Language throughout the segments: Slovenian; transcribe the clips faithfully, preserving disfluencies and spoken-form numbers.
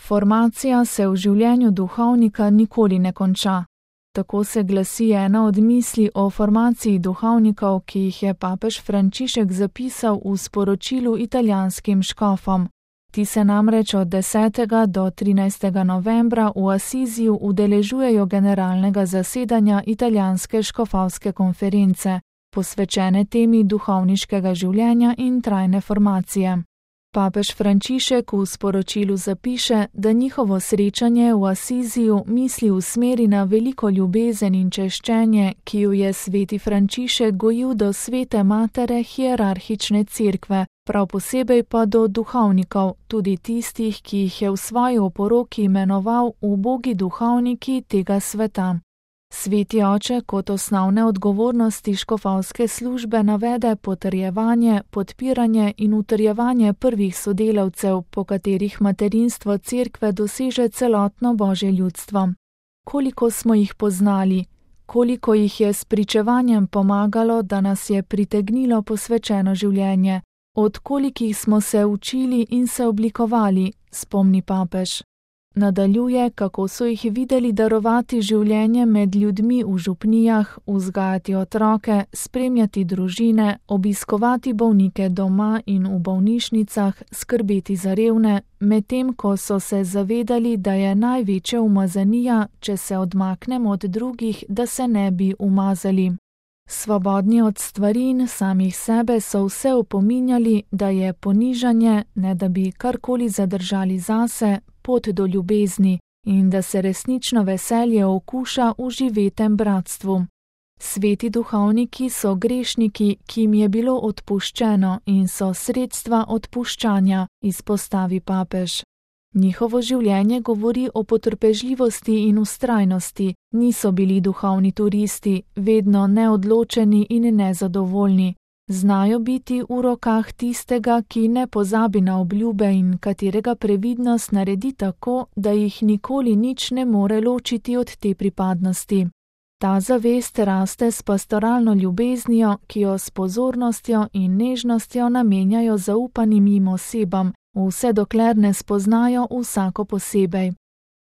Formacija se v življenju duhovnika nikoli ne konča. Tako se glasi ena od misli o formaciji duhovnikov, ki jih je papež Frančišek zapisal v sporočilu italijanskim škofom. Ti se namreč od desetega do trinajstega novembra v Asiziju udeležujejo generalnega zasedanja italijanske škofovske konference, posvečene temi duhovniškega življenja in trajne formacije. Papež Frančišek v sporočilu zapiše, da njihovo srečanje v Asiziju misli usmeri na veliko ljubezen in češčenje, ki jo je sveti Frančišek gojil do svete matere hierarhične cerkve, prav posebej pa do duhovnikov, tudi tistih, ki jih je v svoji oporoki imenoval ubogi duhovniki tega sveta. Sveti oče kot osnovne odgovornosti škofovske službe navede potrjevanje, podpiranje in utrjevanje prvih sodelavcev, po katerih materinstvo cerkve doseže celotno Božje ljudstvo. Koliko smo jih poznali, koliko jih je s pričevanjem pomagalo, da nas je pritegnilo posvečeno življenje, od kolikih smo se učili in se oblikovali, spomni papež. Nadaljuje, kako so jih videli darovati življenje med ljudmi v župnijah, vzgajati otroke, spremljati družine, obiskovati bolnike doma in v bolnišnicah, skrbeti za revne, medtem ko so se zavedali, da je največja umazanija, če se odmaknemo od drugih, da se ne bi umazali. Svobodni od stvari in samih sebe so vse opominjali, da je ponižanje, ne da bi karkoli zadržali zase, pot do ljubezni in da se resnično veselje okuša v živetem bratstvu. Sveti duhovniki so grešniki, ki jim je bilo odpuščeno in so sredstva odpuščanja, izpostavi papež. Njihovo življenje govori o potrpežljivosti in vztrajnosti, niso bili duhovni turisti, vedno neodločeni in nezadovoljni. Znajo biti v rokah tistega, ki ne pozabi na obljube in katerega previdnost naredi tako, da jih nikoli nič ne more ločiti od te pripadnosti. Ta zavest raste s pastoralno ljubeznijo, ki jo s pozornostjo in nežnostjo namenjajo zaupanim jim osebam, vse dokler ne spoznajo vsako posebej.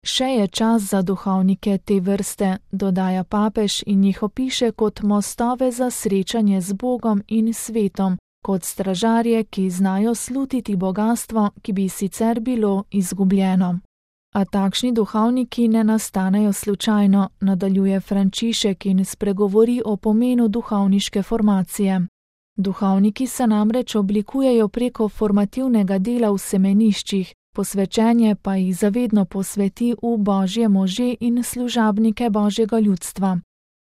Še je čas za duhovnike te vrste, dodaja papež in jih opiše kot mostove za srečanje z Bogom in svetom, kot stražarje, ki znajo slutiti bogastvo, ki bi sicer bilo izgubljeno. A takšni duhovniki ne nastanejo slučajno, nadaljuje Frančišek in spregovori o pomenu duhovniške formacije. Duhovniki se namreč oblikujejo preko formativnega dela v semeniščih, posvečenje pa jih zavedno posveti v Božje može in služabnike Božjega ljudstva.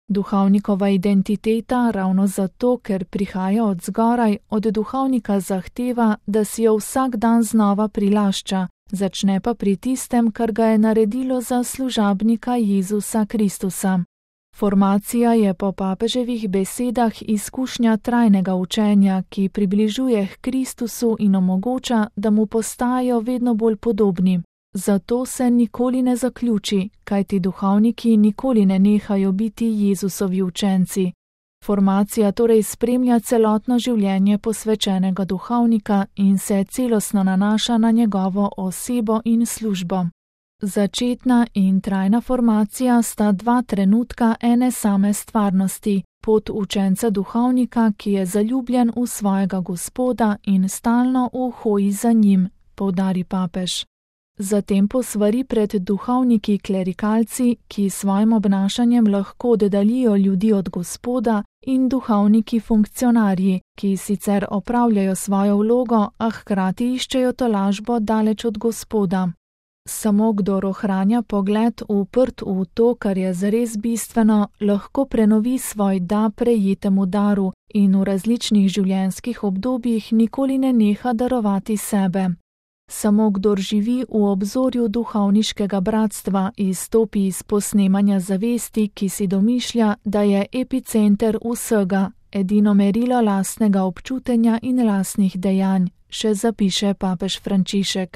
Duhovnikova identiteta, ravno zato, ker prihaja od zgoraj, od duhovnika zahteva, da si jo vsak dan znova prilašča, začne pa pri tistem, kar ga je naredilo za služabnika Jezusa Kristusa. Formacija je po papeževih besedah izkušnja trajnega učenja, ki približuje k Kristusu in omogoča, da mu postajajo vedno bolj podobni. Zato se nikoli ne zaključi, kajti duhovniki nikoli ne nehajo biti Jezusovi učenci. Formacija torej spremlja celotno življenje posvečenega duhovnika in se celostno nanaša na njegovo osebo in službo. Začetna in trajna formacija sta dva trenutka ene same stvarnosti, pot učenca duhovnika, ki je zaljubljen v svojega Gospoda in stalno v hoji za njim, poudari papež. Zatem posvari pred duhovniki klerikalci, ki svojim obnašanjem lahko oddaljijo ljudi od Gospoda, in duhovniki funkcionarji, ki sicer opravljajo svojo vlogo, a hkrati iščejo tolažbo daleč od Gospoda. Samo kdor ohranja pogled uprt v to, kar je zares bistveno, lahko prenovi svoj da prejetemu daru in v različnih življenjskih obdobjih nikoli ne neha darovati sebe. Samo kdor živi v obzorju duhovniškega bratstva, izstopi iz posnemanja zavesti, ki si domišlja, da je epicenter vsega, edino merilo lastnega občutenja in lastnih dejanj, še zapiše papež Frančišek.